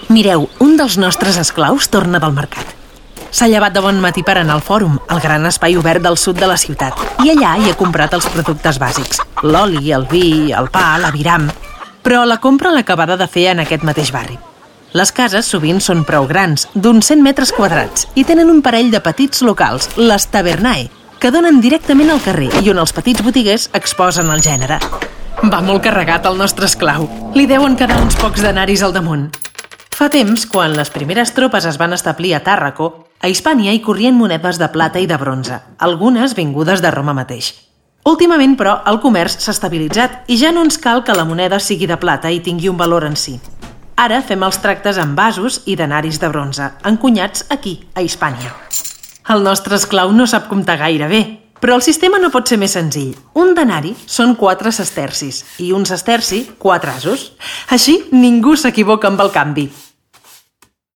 Mireu, un dels nostres esclaus torna del mercat. S'ha llevat de bon matí per anar al Fòrum, el gran espai obert del sud de la ciutat, i allà hi ha comprat els productes bàsics, l'oli, el vi, el pa, l'aviram. Però la compra l'ha acabada de fer en aquest mateix barri. Les cases sovint són prou grans, d'uns 100 metres quadrats, i tenen un parell de petits locals, les tavernae, que donen directament al carrer i on els petits botiguers exposen el gènere. Va molt carregat el nostre esclau. Li deuen quedar uns pocs denaris al damunt. Fa temps, quan les primeres tropes es van establir a Tàrraco, a Hispània hi corrien monedes de plata i de bronze, algunes vingudes de Roma mateix. Últimament, però, el comerç s'ha estabilitzat i ja no ens cal que la moneda sigui de plata i tingui un valor en si. Ara fem els tractes amb vasos i denaris de bronze, encunyats aquí, a Hispània. El nostre esclau no sap comptar gaire bé, però el sistema no pot ser més senzill. Un denari són 4 sestercis i un sesterci 4 asos. Així ningú s'equivoca amb el canvi.